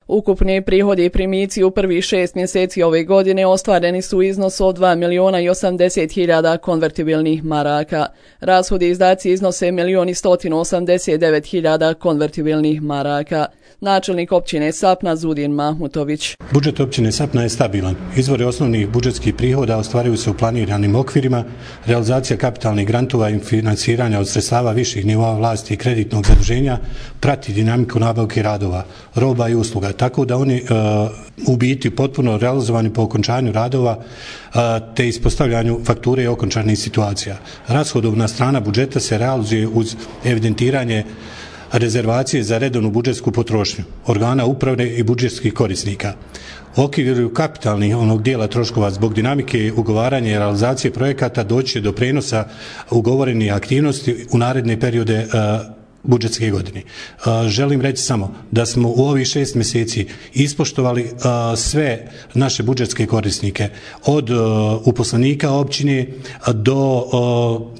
Ukupni prihodi i primici u prvih 6 mjeseci ove godine ostvareni su u iznosu od 2.080.000 konvertibilnih maraka. Rashodi i izdaci iznose 1.189.000 konvertibilnih maraka. Načelnik općine Sapna Zudin Mahmutović. Budžet općine Sapna je stabilan. Izvori osnovnih budžetskih prihoda ostvaruju se u planiranim okvirima. Realizacija kapitalnih grantova i financiranja od sredstava viših nivoa vlasti i kreditnog zaduženja prati dinamiku nabavke radova, roba i usluga, tako da oni u biti potpuno realizovani po okončanju radova te ispostavljanju fakture i okončanih situacija. Rashodovna strana budžeta se realizuje uz evidentiranje rezervacije za redovnu budžetsku potrošnju, organa uprave i budžetskih korisnika. U okviru kapitalnih dijela troškova zbog dinamike ugovaranja i realizacije projekata doći će do prenosa ugovorenih aktivnosti u naredne periode budžetske godine. Želim reći samo da smo u ovih 6 mjeseci ispoštovali sve naše budžetske korisnike, od uposlenika općine do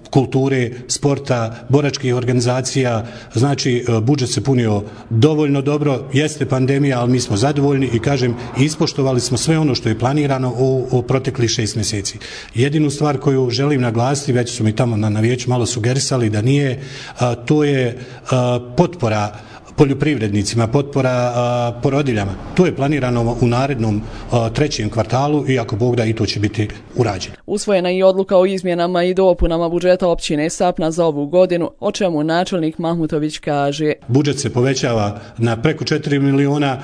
kulture, sporta, boračkih organizacija. Znači, budžet se punio dovoljno dobro, jeste pandemija, ali mi smo zadovoljni i kažem, ispoštovali smo sve ono što je planirano u proteklih 6 mjeseci. Jedinu stvar koju želim naglasiti, već su mi tamo na vijeću malo sugerisali da nije, to je potpora poljoprivrednicima, potpora porodiljama. To je planirano u narednom 3. kvartalu i ako Bog da i to će biti urađeno. Usvojena je i odluka o izmjenama i dopunama budžeta općine Sapna za ovu godinu, o čemu načelnik Mahmutović kaže. Budžet se povećava na preko 4 miliona,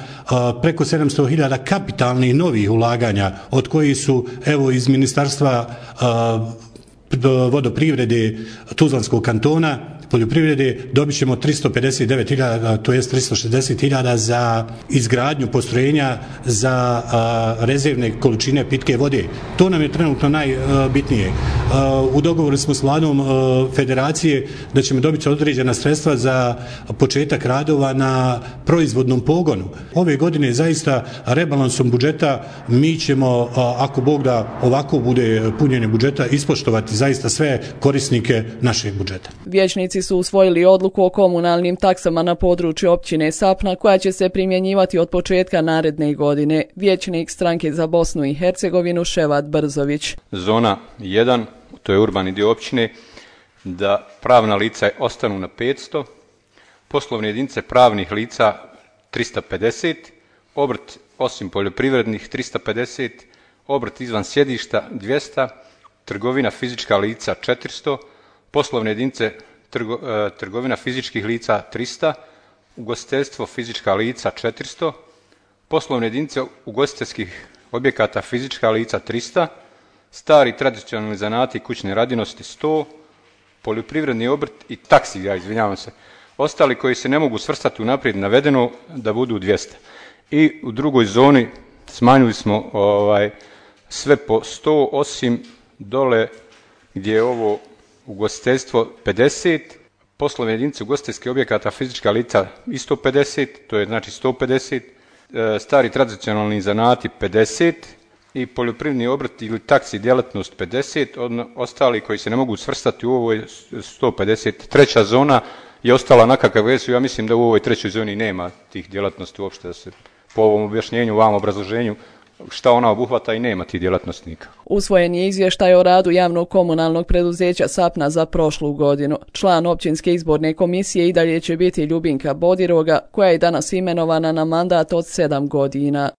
preko 700.000 kapitalnih novih ulaganja, od kojih su evo iz Ministarstva vodoprivrede Tuzlanskog kantona, poljoprivrede, dobit ćemo 359.000, to jest 360.000 za izgradnju postrojenja za rezervne količine pitke vode. To nam je trenutno najbitnije. U dogovoru smo s vladom federacije da ćemo dobiti određena sredstva za početak radova na proizvodnom pogonu. Ove godine zaista rebalansom budžeta mi ćemo, ako Bog da ovako bude punjenje budžeta, ispoštovati zaista sve korisnike našeg budžeta. Vijećnici su usvojili odluku o komunalnim taksama na području općine Sapna koja će se primjenjivati od početka naredne godine. Vijećnik stranke za Bosnu i Hercegovinu Ševat Brzović. Zona 1, to je urbani dio općine, da pravna lica ostanu na 500, poslovne jedinice pravnih lica 350, obrt osim poljoprivrednih 350, obrt izvan sjedišta 200, trgovina fizička lica 400, poslovne jedinice trgovina fizičkih lica 300, ugostiteljstvo fizička lica 400, poslovne jedinice ugostiteljskih objekata fizička lica 300, stari tradicionalni zanati i kućne radinosti 100, poljoprivredni obrt i taksi, izvinjavam se, ostali koji se ne mogu svrstati u naprijed navedeno da budu 200. I u drugoj zoni smanjili smo sve po 100 osim dole gdje je ovo ugostiteljstvo 50, poslovne jedinice ugostiteljskih objekata fizička lica isto 50, to je znači 150, stari tradicionalni zanati 50 i poljoprivredni obrt ili taksi djelatnost 50, ostali koji se ne mogu svrstati u ovoj 150. Treća zona je ostala na kakav jesu. Ja mislim da u ovoj trećoj zoni nema tih djelatnosti uopšte, da se po ovom objašnjenju, ovom obrazloženju šta ona obuhvata i nema tih djelatnosnika. Usvojen je izvještaj o radu javnog komunalnog preduzeća Sapna za prošlu godinu. Član općinske izborne komisije i dalje će biti Ljubinka Bodiroga, koja je danas imenovana na mandat od 7 godina.